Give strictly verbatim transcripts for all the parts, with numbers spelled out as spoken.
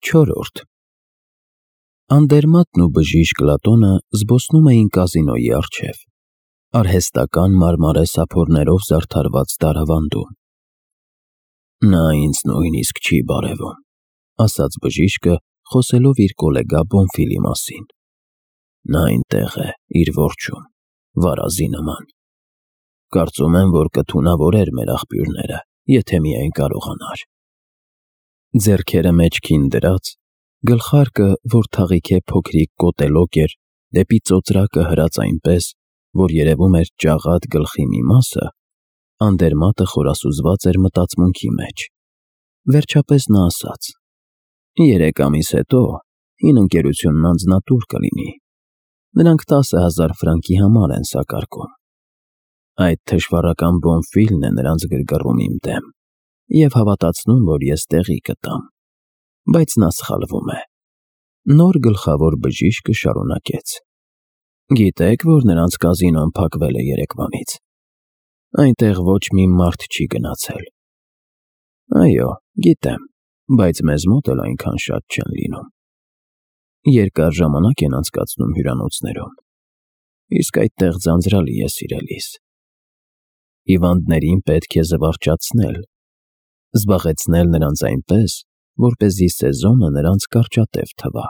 Չորրորդ Անդերմատն ու բժիշկ Լատոնը զբոսնում էին կազինոյի առջև, արհեստական մարմարե սափորներով զարդարված դարավանդում։ Նա ինձ նույնիսկ չի բարևում, ասաց բժիշկը, խոսելով իր գոլեգա Բոնֆիլի մասին։ Նա այնտեղ է, իր որջում, վարազի նման։ Կարծում եմ, որ կթունավորեր մեր աղբյուրները, եթե միայն կարողանար։ Ձեռքերը մեջքին դրած, գլխարկը, որ թաղիք է փոքրիկ կոտելոկ էր, դեպի ծոծրակը հրած այնպես, որ երևում էր ճաղատ գլխի մի մասը, Անդերմատը խորասուզված էր մտածմունքի մեջ։ Վերջապես նա ասաց. «Երեք ամիս հետո հին ընկերությունն անձնատուր կլինի։ Նրանք տասը հազար ֆրանկի համար են սակարկում։ Այդ թշվառական Բոնֆիլն է նրանց գրգռում իմ դեմ և հավատացնում, որ ես տեղի կտամ։ Բայց նա սխալվում է»։ Նոր գլխավոր բժիշկը շարունակեց. «Գիտեք, որ նրանց կազինոն փակվել է երեկվանից։ Այնտեղ ոչ մի մարդ չի գնացել»։ Այո, գիտեմ, բայց մեզ մոտ էլ այնքան շատ չեն լինում։ Երկար ժամանակ են անցկացնում հյուրանոցներում։ Իսկ այդտեղ ձանձրալի է, սիրելիս։ Հիվանդներին պետք է զվարճացնել, զբաղեցնել նրանց այնպես, որպեսզի սեզոնը նրանց կարճատև թվա։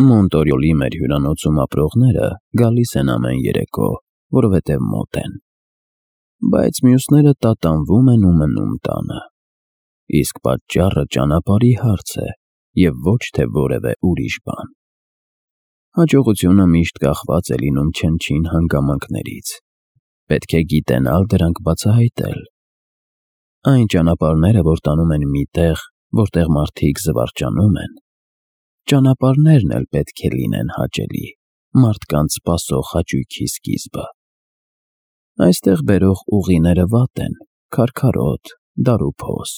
Մոնտորյոլի մեր հյուրանոցում ապրողները գալիս են ամեն երեկո, որովհետև մոտ են։ Բայց մյուսները տատանվում են ու մնում տանը։ Իսկ պատճառը ճանապարհի հարց է և ոչ թե որևէ ուրիշ բան։ Հաջողությունը միշտ կախված է լինում չնչին հանգամանքներից։ Պետք է գիտենալ դրանք բացահայտել։ Այն ճանապարհները, որ տանում են մի տեղ, որտեղ մարդիկ զվարճանում են, ճանապարհներն էլ պետք է լինեն հաճելի, մարդկանց սպասող հաճույքի սկիզբը։ Այստեղ բերող ուղիները վատ են, քարքարոտ, դարուփոս,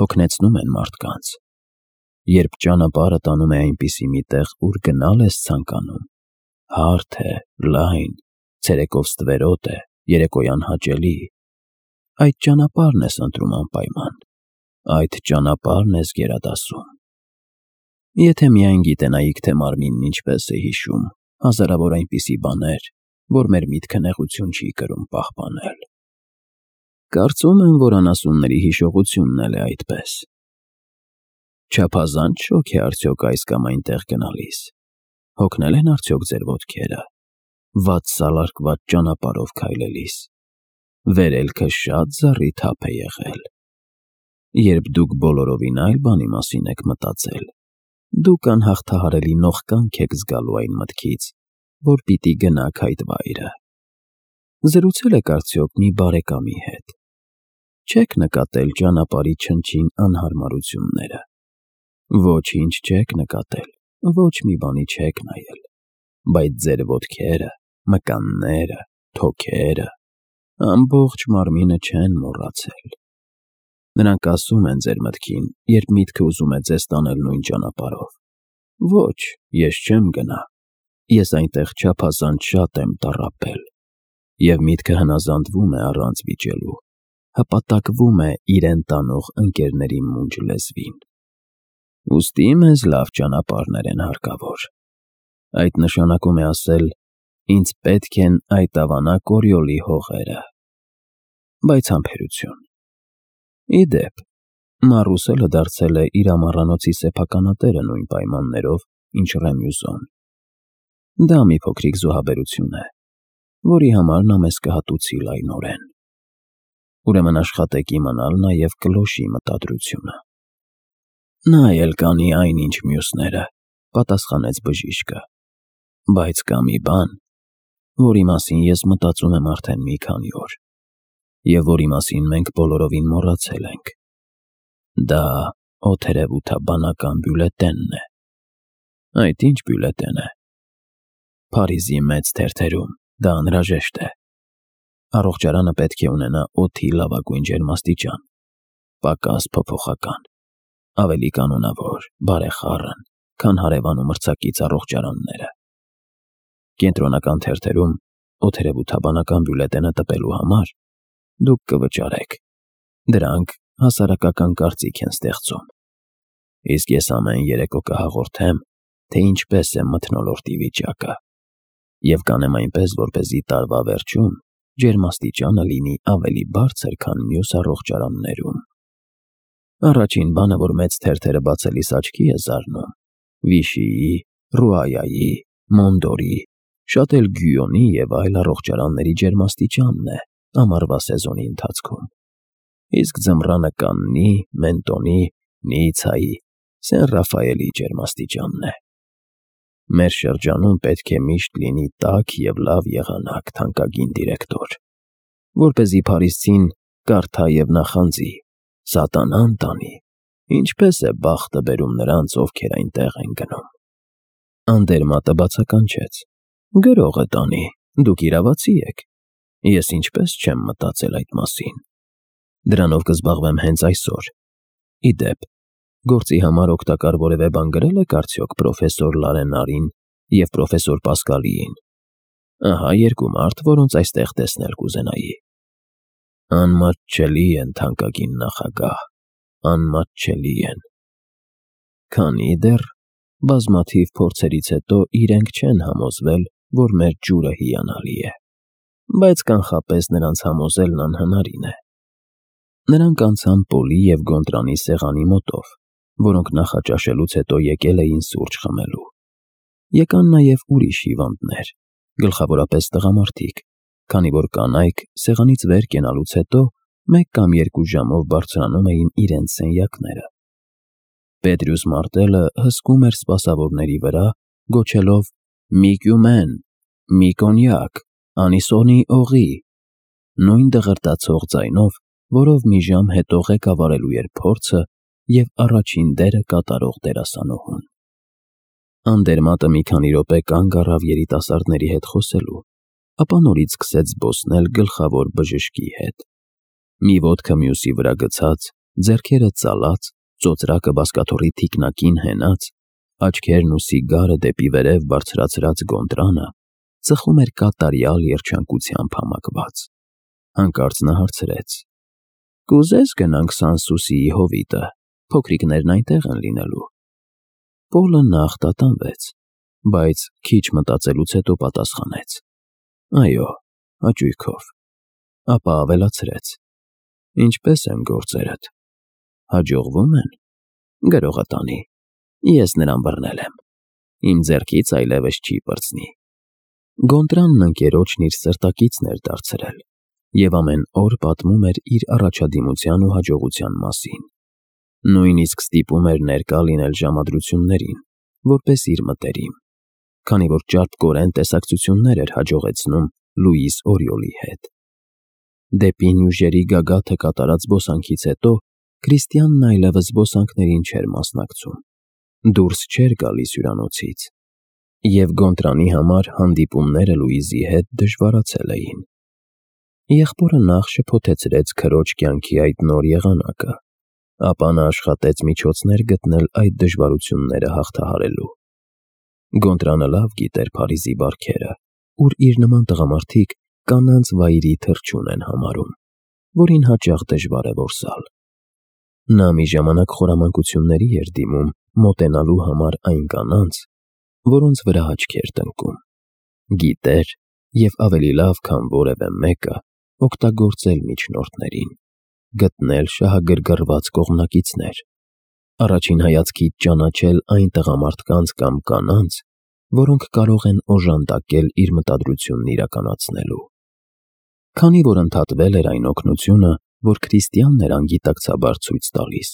հոգնեցնում են մարդկանց։ Երբ ճանապարհը տանում է այնպիսի մի տեղ, ուր գնալ ես ցանկանում, հարթ է, լայն, ցերեկով ստվերոտ է, երեկոյան հաճելի, այդ ճանապարհն ես ընտրում անպայման, այդ ճանապարհն ես գերադասում։ Եթե միայն գիտենայիք, թե մարմինն ինչպես է հիշում հազարավոր այնպիսի բաներ, որ մեր միտքը նեղություն չի կրում պահպանել։ Կարծում եմ, որ անասունների հիշողությունն էլ է այդպես։ Չափազանց շոգ է արդյոք այս կամ այնտեղ գնալիս։ Հոգնել են արդյոք ձեր ոտքերը, վատ սալարկված ճանապարհով քայլելիս։ Վերելքը շատ զառիթափ է եղել։ Երբ դուք բոլորովին այլ բանի մասին եք մտածել, դուք անհաղթահարելի նողկանք եք զգալու այն մտքից, որ պիտի գնաք այդ վայրը։ Զրուցել եք արդյոք մի բարեկամի հետ։ Չեք նկատել ճանապարհի չնչին անհարմարությունները։ Ոչինչ չեք նկատել, ոչ մի բանի չեք նայել, բայց ձեր ոտքերը, մկանները, թոքերը, ամբողջ մարմինը չեն մոռացել։ Նրանք ասում են ձեր մտքին, երբ միտքը ուզում է ձեզ տանել նույն ճանապարհով. «Ոչ, ես չեմ գնա, ես այնտեղ չափազանց շատ եմ տառապել»։ Եվ միտքը հնազանդվում է առանց վիճելու, հպատակվում է իրեն տանող ընկերների մունջ լեզվին։ Ուստի մեզ լավ ճանապարհներ են հարկավոր։ Այդ նշանակում է ասել. ինձ պետք են այդ ավանակ օրիոլի հողերը։ Բայց համբերություն։ Ի դեպ, Մարուսելը դարձել է իր ամառանոցի սեփականատերը նույն պայմաններով, ինչ Ռեմյուզոն։ Դա մի փոքրիկ զոհաբերություն է, որի համար նա մեզ կհատուցի լայնորեն։ Ուրեմն աշխատեք իմանալ նաև կլոշի մտադրությունը։ Նա էլ կանի այնինչ մյուսները, պատասխանեց բժիշկը, բայց կա մի բան, որի մասին ես մտածում եմ արդեն մի քանի օր, և որի մասին մենք բոլորովին մոռացել ենք։ Դա օթերևութաբանական բյուլետենն է։ Այդ ինչ բյուլետեն է։ Փարիզի մեծ թերթերում դա անհրաժեշտ է։ Առողջարանը պետք է ունենա օդի լավագույն ջերմաստիճան, պակաս փոփոխական, ավելի կանոնավոր, բարեխառն, քան հարևան ու մրցակից առողջարանները։ Կենտրոնական թերթերում օթերևութաբանական բյուլետենը տպելու համար դուք կվճարեք։ Դրանք հասարակական կարծիք են ստեղծում։ Իսկ ես ամեն երեկո կհաղորդեմ, թե ինչպես է մթնոլորտի վիճակը, և կանեմ այնպես, որպեսզի տարվա վերջում ջերմաստիճանը լինի ավելի բարձր, քան մյուս առողջարաններում։ Առաջին բանը, որ մեծ թերթերը բացելիս աչքի է զարնում, Վիշիի, Ռուայայի, Մոնդորի, շատ էլ Գյուոնի և այլ առողջարանների ջերմաստիճանն է ամառվա սեզոնի ընթացքում։ Իսկ ձմռանը Կաննի, Մենտոնի, Նիցայի, Սեն Ռաֆայելի ջերմաստիճանն է։ Մեր շրջանում պետք է միշտ լինի տաք և լավ եղանակ, թանկագին դիրեկտոր, որպեսզի փարիսցին կարդա և նախանձի, սատանան տանի, ինչպես է բախտը բերում նրանց, ովքեր այնտեղ են գնում։ Անդերմատը բացականչեց. Գրողը տանի, դուք իրավացի եք, ես ինչպես չեմ մտածել այդ մասին։ Դրանով կզբաղվեմ հենց այսօր։ Ի դեպ, գործի համար օգտակար որևէ բան գրել եք արդյոք պրոֆեսոր Լարենարին և պրոֆեսոր Պասկալիին։ Ահա երկու մարդ, որոնց այստեղ տեսնել կուզենայի։ Անմատչելի են, թանկագին նախագահ, անմատչելի են։ Քանի դեռ բազմաթիվ փորձերից հետո իրենք չեն համոզվել, որ մեր ջուրը հիանալի է, բայց կանխապես նրանց համոզելն անհնարին է։ Նրանք անցան Պոլի և Գոնտրանի սեղանի մոտով, որոնք նախաճաշելուց հետո եկել էին սուրճ խմելու։ Եկան նաև ուրիշ հիվանդներ, գլխավորապես տղամարդիկ, քանի որ կանայք սեղանից վեր կենալուց հետո մեկ կամ երկու ժամով բարձրանում էին իրենց սենյակները։ Պետրյուս Մարտելը հսկում էր սպասավորների վրա, գոչելով. «Մի կյումեն, մի կոնյակ, անիսոնի օղի», նույն դղրդացող ձայնով, որով մի ժամ հետո ղեկավարելու էր փորձը և առաջին դերը կատարող դերասանուհուն։ Անդերմատը մի քանի րոպե կանգ առավ երիտասարդների հետ խոսելու, ապա նորից սկսեց զբոսնել գլխավոր բժշկի հետ։ Մի ոտքը մյուսի վրա գցած, ձեռքերը ծալած, ծոծրակը բազկաթոռի թիկնակին հենած, աչքերն ու սիգարը դեպի վերև բարձրացրած Գոնտրանը ծխում էր կատարյալ երջանկությամբ համակված։ Հանկարծ նա հարցրեց. «Կուզես գնանք Սանսուսիի հովիտը, փոքրիկներն այնտեղ են լինելու»։ Պոլը նախ տատանվեց, բայց քիչ մտածելուց հետո պատասխանեց. «Այո, հաճույքով»։ Ապա ավելացրեց. «Ինչպե՞ս են գործերդ, հաջողվում են»։ Գրողը տանի, ես նրան բռնել եմ, իմ ձեռքից այլևս չի պրծնի։ Գոնտրանն ընկերոջն իր սրտակիցն էր դարձրել և ամեն օր պատմում էր իր առաջադիմության ու հաջողության մասին։ Նույնիսկ ստիպում էր ներկա լինել ժամադրություններին, որպես իր մտերիմ, քանի որ ճարպկորեն տեսակցություններ էր հաջողեցնում Լուիս Օրիոլի հետ։ Դեպի Նյուժերի գագաթը կատարած զբոսանքից հետո Քրիստիանն այլևս զբոսանքներին չէր մասնակցում, դուրս չէր գալիս հյուրանոցից, և Գոնտրանի համար հանդիպումները Լուիզի հետ դժվարացել էին։ Եղբորը նախ շփոթեցրեց քրոջ կյանքի այդ նոր եղանակը, ապա նա աշխատեց միջոցներ գտնել այդ դժվարությունները հաղթահարելու։ Գոնտրանը լավ գիտեր Փարիզի բարքերը, ուր իր նման տղամարդիկ կանանց վայրի թռչուն են համարում, որին հաճախ դժվար է որսալ։ Նա մի ժամանակ խորամանկությունների էր դիմում մոտենալու համար այն կանանց, որոնց վրա աչք էր տնկում։ Գիտեր և ավելի լավ, քան որևէ մեկը, օգտագործել միջնորդներին, գտնել շահագրգռված կողմնակիցներ, առաջին հայացքից ճանաչել այն տղամարդկանց կամ կանանց, որոնք կարող են օժանդակել իր մտադրությունն իրականացնելու։ Քանի որ ընդհատվել էր այն օգնությունը, որ Քրիստիանն էր անգիտակցաբար ցույց տալիս,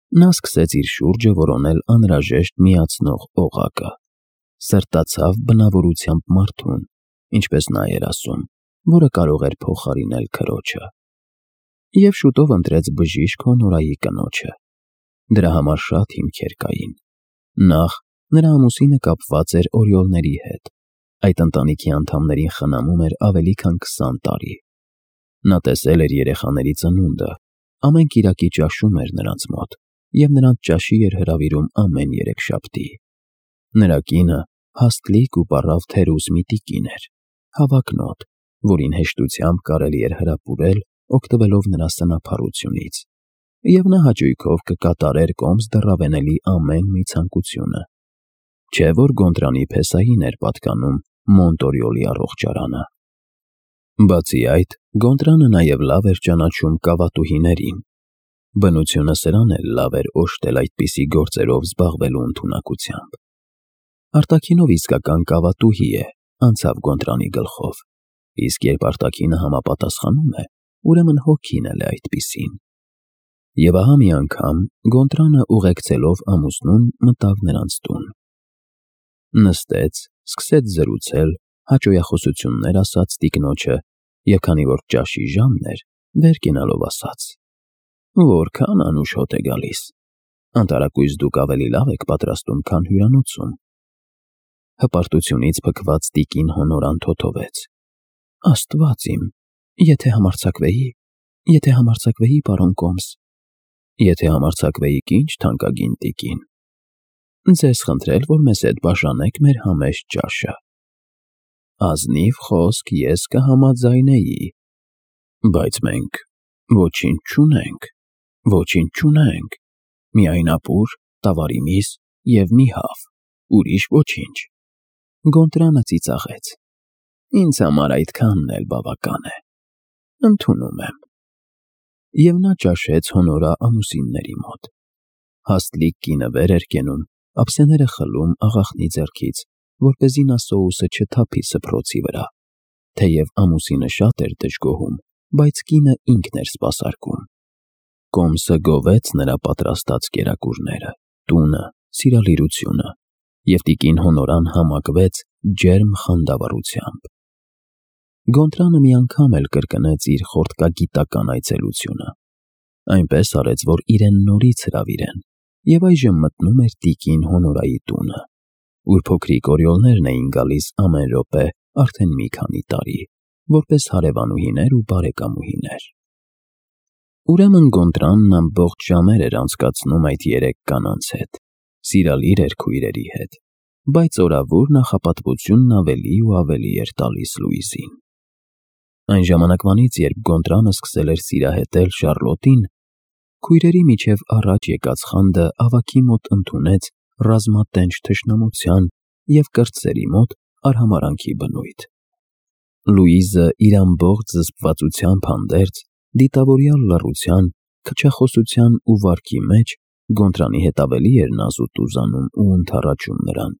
նա սկսեց իր շուրջը որոնել անհրաժեշտ միացնող օղակը, սրտացավ բնավորությամբ մարդուն, ինչպես նա էր ասում, որը կարող էր փոխարինել քրոջը։ Եվ շուտով ընտրեց բժիշկ Հոնորայի կնոջը։ Դրա համար շատ հիմքեր կային։ Նախ, նրա ամուսինը կապված էր Օրիոլների հետ, այդ ընտանիքի անդամներին խնամում էր ավելի քան քսան տարի։ Նա տեսել էր երեխաների ծնունդը, ամեն կիրակի ճաշում էր նրանց մոտ և նրանց ճաշի էր հրավիրում ամեն երեքշաբթի։ Նրա կինը հաստլիկ ու պառավ թերուս մի տիկին էր, հավակնոտ, որին հեշտությամբ կարելի էր հրապուրել, օգտվելով նրա սնափառությունից։ և նա հաճույքով կկատարեր կոմս դռավենելի ամեն մի ցանկությունը։ Չէ որ Գոնտրանի փեսային էր պատկանում Մոնտորիոլի առողջարանը։ Բացի այդ, Գոնտրանը նաև լավ էր ճանաչում կավատուհիներին։ Բնությունը սրան էլ լավ էր օժտել այդպիսի գործերով զբաղվելու ընդունակությամբ։ Արտաքինով իսկական կավատուհի է, անցավ Գոնտրանի գլխով, իսկ երբ արտաքինը համապատասխանում է, ուրեմն հոգին էլ է այդպիսին։ Եվ ահա մի անգամ Գոնտրանը ուղեկցելով ամուսնուն մտավ նրանց տուն։ Նստեց, սկսեց զրուցել, հաճոյախոսություններ ասաց տիկնոջը, և քանի որ ճաշի ժամն էր, վեր կենալով ասաց. «Որքան անուշ հոտ է գալիս, անտարակույս դուք ավելի լավ եք պատրաստում, քան հյուրանոցում»։ Հպարտությունից փքված տիկին հոնորան թոթովեց. «Աստված իմ, եթե համարձակվեի, եթե համարձակվեի, պարոն կոմս»։ Եթե համարձակվեիք, ինչ թանկագին տիկին։ Ձեզ խնդրել, որ մեզ հետ բաժանեք մեր համեստ ճաշը։ Ազնիվ խոսք ես կհամաձայնեի, բայց մենք ոչինչ չունենք, ոչինչ չունենք, միայն ապուր, տավարի միս և մի հավ, ուրիշ ոչինչ։ Գոնտրանը ծիծաղեց. «Ինձ համար այդքանն էլ բավական է, ընդունում եմ»։ Եվ նա ճաշեց հոնորա ամուսինների մոտ։ Հաստլիկ կինը վեր էր կենում, ափսեները խլում աղախնի ձեռքից, որպեսզի նա սոուսը չթափի սփռոցի վրա։ Թեև ամուսինը շատ էր դժգոհում, բայց կինը ինքն էր սպասարկում։ Կոմսը գովեց նրա պատրաստած կերակուրները, տունը, սիրալիրությունը, և տիկին հոնորան համակվեց ջերմ խանդավառությամբ։ Գոնտրանը մի անգամ էլ կրկնեց իր խորտկագիտական այցելությունը։ Այնպես արեց, որ իրեն նորից հրավիրեն, և այժմ մտնում էր տիկին հոնորայի տունը, ուր փոքրիկ օրիոլներն էին գալիս ամեն րոպե արդեն մի քանի տարի, որպես հարևանուհիներ ու բարեկամուհիներ։ Ուրեմն Գոնտրանն ամբողջ ժամեր էր անցկացնում այդ երեք կանանց հետ, սիրալիր էր քույրերի հետ, բայց օրավուր նախապատվությունն ավելի ու ավելի էր տալիս Լուիզին։ Այն ժամանակվանից, երբ Գոնտրանը սկսել էր սիրահետել Շառլոտին, քույրերի միջև առաջ եկած խանդը ավագի մոտ ընդունեց ռազմատենչ թշնամության և կրտսերի մոտ արհամարհանքի բնույթ։ Լուիզը իր ամբողջ զսպվածությամբ հանդերձ, դիտավորյալ լռության, քչախոսության ու վարքի մեջ Գոնտրանի հետ ավելի էր նազուտ-ուզանում ու ընդառաջում նրան,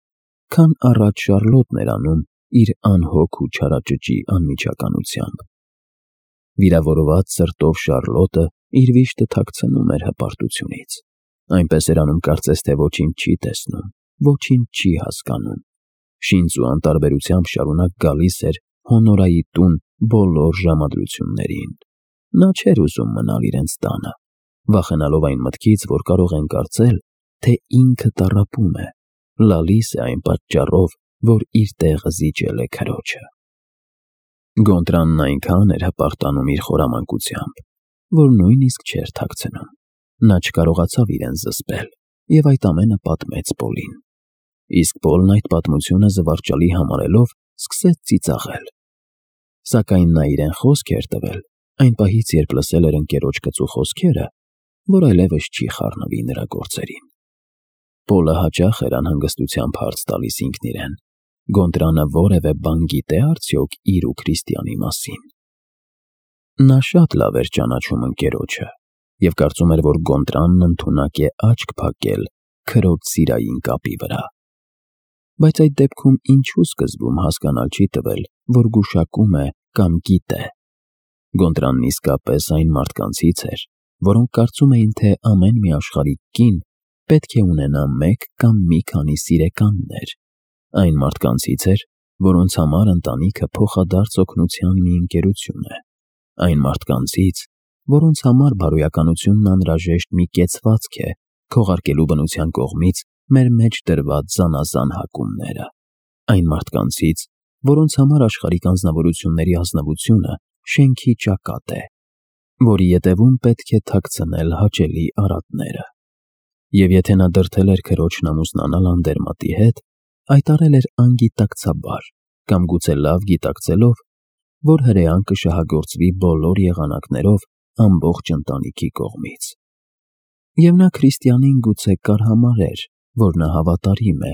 քան առաջ Շառլոտն էր անում իր անհոգ ու չարաճճի անմիջականությամբ։ Վիրավորված սրտով Շառլոտը իր վիշտը թաքցնում էր հպարտությունից, այնպես էր անում կարծես թե ոչինչ չի տեսնում, ոչինչ չի հասկանում, շինծ ու անտարբերությամբ շարունակ գալիս էր հոնորայի տուն բոլոր ժամադրություններին։ Նա չէր ուզում մնալ իրենց տանը, վախենալով այն մտքից, որ կարող են կարծել, թե ինքը տառապում է, լալիս է այն պատճառով, որ իր տեղը զիջել է քրոջը։ Գոնտրանն այնքան էր հպարտանում իր խորամանկությամբ, որ նույնիսկ չէր թաքցնում։ Նա չկարողացավ իրեն զսպել և այդ ամենը պատմեց Պոլին։ Իսկ Պոլն այդ պատմությունը զվարճալի համարելով սկսեց ծիծաղել։ Սակայն նա իրեն խոսք էր տվել այն պահից, երբ լսել էր ընկերոջ կծու խոսքերը, որ այլևս չի խառնվի նրա գործերին։ Պոլը հաճախ էր անհանգստությամբ հարց տալիս ինքն իրեն. Գոնտրանը որևէ բան գիտե՞ արդյոք իր ու Քրիստիանի մասին։ Նա շատ լավ էր ճանաչում ընկերոջը և կարծում էր, որ Գոնտրանն ընդունակ է աչք փակել քրոջ սիրային կապի վրա։ Բայց այդ դեպքում ինչու սկզբում հասկանալ չի տվել, որ գուշակում է կամ գիտե։ Գոնտրանն իսկապես այն մարդկանցից էր, որոնք կարծում էին, թե ամեն մի աշխարհիկ կին պետք է ունենա մեկ կամ մի քանի սիրեկաններ։ Այն մարդկանցից էր, որոնց համար ընտանիքը փոխադարձ օգնության մի ընկերություն է։ Այն մարդկանցից, որոնց համար բարոյականությունն անհրաժեշտ մի կեցվածք է, քողարկելու բնության կողմից մեր մեջ դրված զանազան հակումները։ Այն մարդկանցից, որոնց համար աշխարհիկ անձնավորությունների ազնվությունը շենքի ճակատ է, որի ետևում պետք է թաքցնել հաճելի արատները։ Եվ եթե նա դրդել էր քրոջն ամուսնանալ անդերմատի հետ, այդ արել էր անգիտակցաբար կամ գուցե լավ գիտակցելով, որ հրեան կշահագործվի բոլոր եղանակներով ամբողջ ընտանիքի կողմից։ Եվ նա քրիստիանին գուցե կարհամարեր, որ նա հավատարիմ է,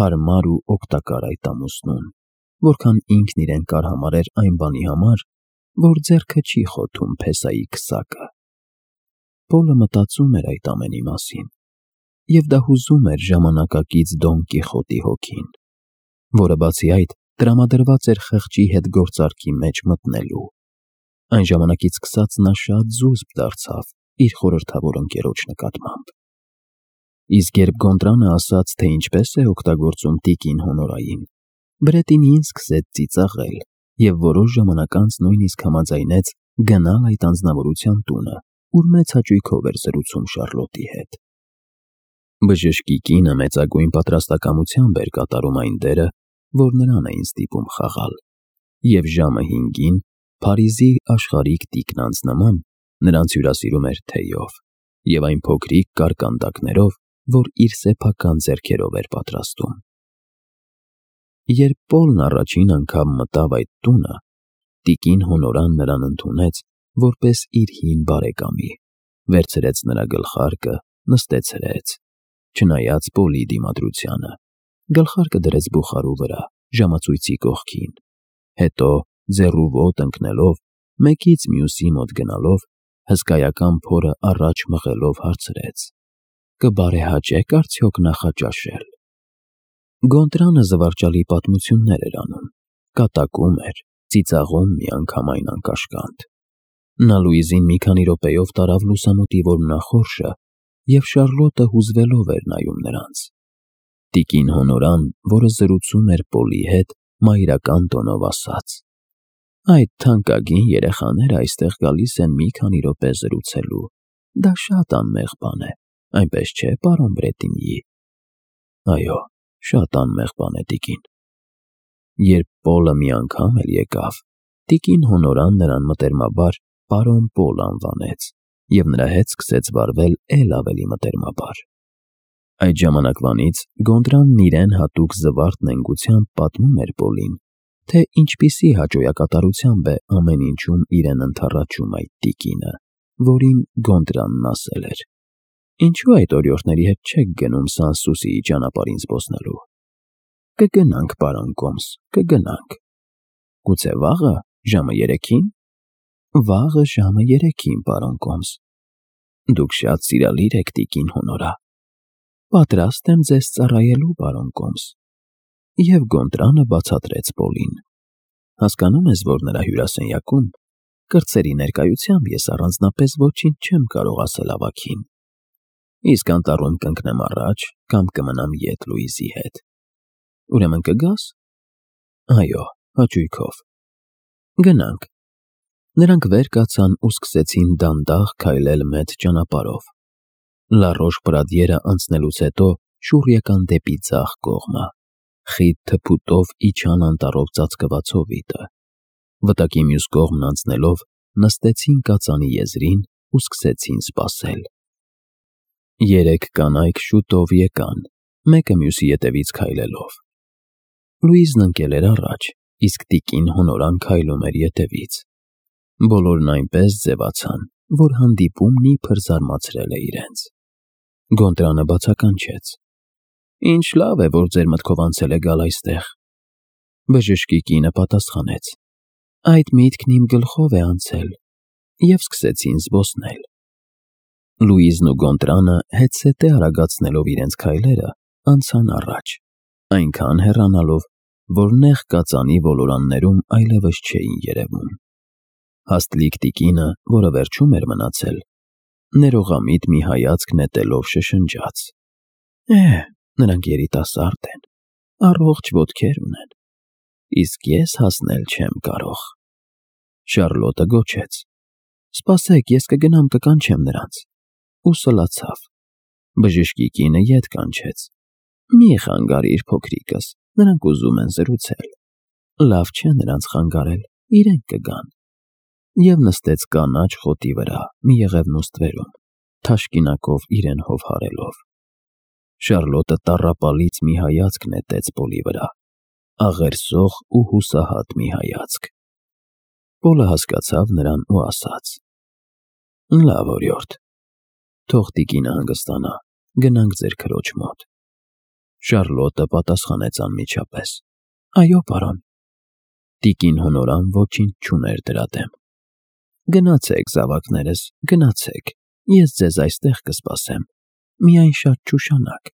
հարմար ու օգտակար այդ ամուսնուն, որքան ինքն իրեն կարհամարեր այն բանի համար, որ ձեռքը չի խոթում փեսայի քսակը։ Պոլը մտածում էր այդ ամենի մասին, և դա հուզում էր ժամանակակից Դոն Կիխոտի հոգին, որը բացի այդ տրամադրված էր խղճի հետ գործարքի մեջ մտնելու։ Այն ժամանակից սկսած նա շատ զուսպ դարձավ իր խորհրդավոր ընկերոջ նկատմամբ։ Իսկ երբ Գոնդրանը ասաց, թե ինչպես է օգտագործում տիկին Հոնորային, Բրետինին սկսեց ծիծաղել և որոշ ժամանակ անց նույնիսկ համաձայնեց գնալ այդ անձնավորության տունը, ուր մեծ հաճույքով էր զրուցում Շառլոտի հետ։ Բժշկի կինը մեծագույն պատրաստակամությամբ էր կատարում այն դերը, որ նրան էին ստիպում խաղալ, և ժամը հինգին Փարիզի աշխարհիկ տիկնանց նման նրանց հյուրասիրում էր թեյով և այն փոքրիկ կարկանդակներով, որ իր սեփական ձեռքերով էր պատրաստում։ Երբ Պոլն առաջին անգամ մտավ այդ տունը, տիկին Հոնորան նրան ընդունեց որպես իր հին բարեկամի, վերցրեց նրա գլխարկը, նստեցրեց, չնայած Պոլի դիմադրությանը, գլխարկը դրեց բուխարու վրա, ժամացույցի կողքին, հետո ձեռու ոտը ընկնելով, մեկից մյուսի մոտ գնալով, հսկայական փորը առաջ մղելով հարցրեց. «Կբարեհաճե՞ք արդյոք նախաճաշել»։ Գոնտրանը զվարճալի պատմություններ էր անում, կատակում էր, ծիծաղում միանգամայն անկաշկանդ։ Նա Լուիզին մի քանի րոպեով տարավ լուսամուտի որմնախորշը, և Շառլոտը հուզվելով էր նայում նրանց։ Տիկին Հոնորան, որը զրուցում էր Պոլի հետ, մայրական տոնով ասաց. «Այդ թանկագին երեխաները այստեղ գալիս են մի քանի րոպե զրուցելու, դա շատ անմեղ բան է, այնպես չէ, պարոն Բրետինյի»։ Այո, շատ անմեղ բան է, տիկին։ Երբ Պոլը մի անգամ էլ եկավ, տիկին Հոնորան նրան մտերմաբար պարոն Պոլ անվանեց և նրա հետ սկսեց վարվել էլ ավելի մտերմաբար։ Այդ ժամանակվանից Գոնդրանն իրեն հատուկ զվարթ նենգությամբ պատմում էր Պոլին, թե ինչպիսի հաճոյակատարությամբ է ամեն ինչում իրեն ընդառաջում այդ տիկինը, որին Գոնդրանն ասել էր. «Ինչու այդ օրիորդների հետ չեք գնում Սանսուսիի ճանապարհին զբոսնելու»։ «Կգնանք, պարոն Կոմս, կգնանք»։ «Գուցե վաղը, ժամը երեքին»։ «Վաղը ժամը երեքին, պարոն Կոմս»։ «Դուք շատ սիրալիր եք, տիկին Հոնորա»։ «Պատրաստ եմ ձեզ ծառայելու, պարոն Կոմս»։ Եվ Գոնտրանը բացատրեց Պոլին. «Հասկանում ես, որ նրա հյուրասենյակում, կրտսերի ներկայությամբ ես առանձնապես ոչինչ չեմ կարող ասել ավագին։ Իսկ անտառում կընկնեմ առաջ կամ կմնամ ետ Լուիզի հետ։ Ուրեմն կգա՞ս»։ «Այո, հաճույքով»։ «Գնանք»։ Նրանք վեր կացան ու սկսեցին դանդաղ քայլել մեծ ճանապարհով։ Լարոշ-Պրադիերը անցնելուց հետո շուռ եկան դեպի ձախ կողմը, խիտ թփուտով իջան անտառով ծածկված հովիտը։ Վտակի մյուս կողմն անցնելով նստեցին կածանի եզրին ու սկսեցին սպասել։ Երեք կանայք շուտով եկան, մեկը մյուսի ետևից քայլելով։ Լուիզն ընկել էր առաջ, իսկ տիկին Հոնորան քայլում էր ետևից։ Բոլորն այնպես ձևացան, որ հանդիպումն իբր զարմացրել է իրենց։ Գոնտրանը բացականչեց. «Ինչ լավ է, որ ձեր մտքով անցել է գալ այստեղ»։ Բժշկի կինը պատասխանեց. «Այդ միտքն իմ գլխով է անցել»։ Եվ սկսեցին զբոսնել։ Լուիզն ու Գոնտրանը հետզհետե արագացնելով իրենց քայլերը, անցան առաջ, այնքան հեռանալով, որ նեղ կածանի ոլորաններում այլևս չէին երևում։ Հաստլիկ տիկինը, որը վերջում էր մնացել, ներողամիտ մի հայացք նետելով շշնջաց. «Է, նրանք երիտասարդ են, առողջ ոտքեր ունեն, իսկ ես հասնել չեմ կարող»։ Շառլոտը գոչեց. «Սպասեք, ես կգնամ կկանչեմ նրանց»։ Ու սլացավ։ Բժշկի կինը ետ կանչեց. «Մի խանգարիր, փոքրիկս, նրանք ուզում են զրուցել»։ Լավ չէ նրանց խանգարել, իրենք կգան։ Եվ նստեց կանաչ խոտի վրա մի եղևնու ստվերում, թաշկինակով իրեն հովհարելով։ Շառլոտը տառապալից մի հայացք նետեց Պոլի վրա, աղերսող ու հուսահատ մի հայացք։ Պոլը հասկացավ նրան ու ասաց. «Լավ, օրիորդ, Թող տիկինը հանգստանա, գնանք ձեր քրոջ մոտ։ Շարլոտը պատասխանեց անմիջապես. Այո, պարոն։ Տիկին հոնորան ոչինչ չուներ դրա դեմ։ Գնացեք, զավակներս, գնացեք, ես ձեզ այստեղ կսպասեմ, միայն շատ չուշանաք։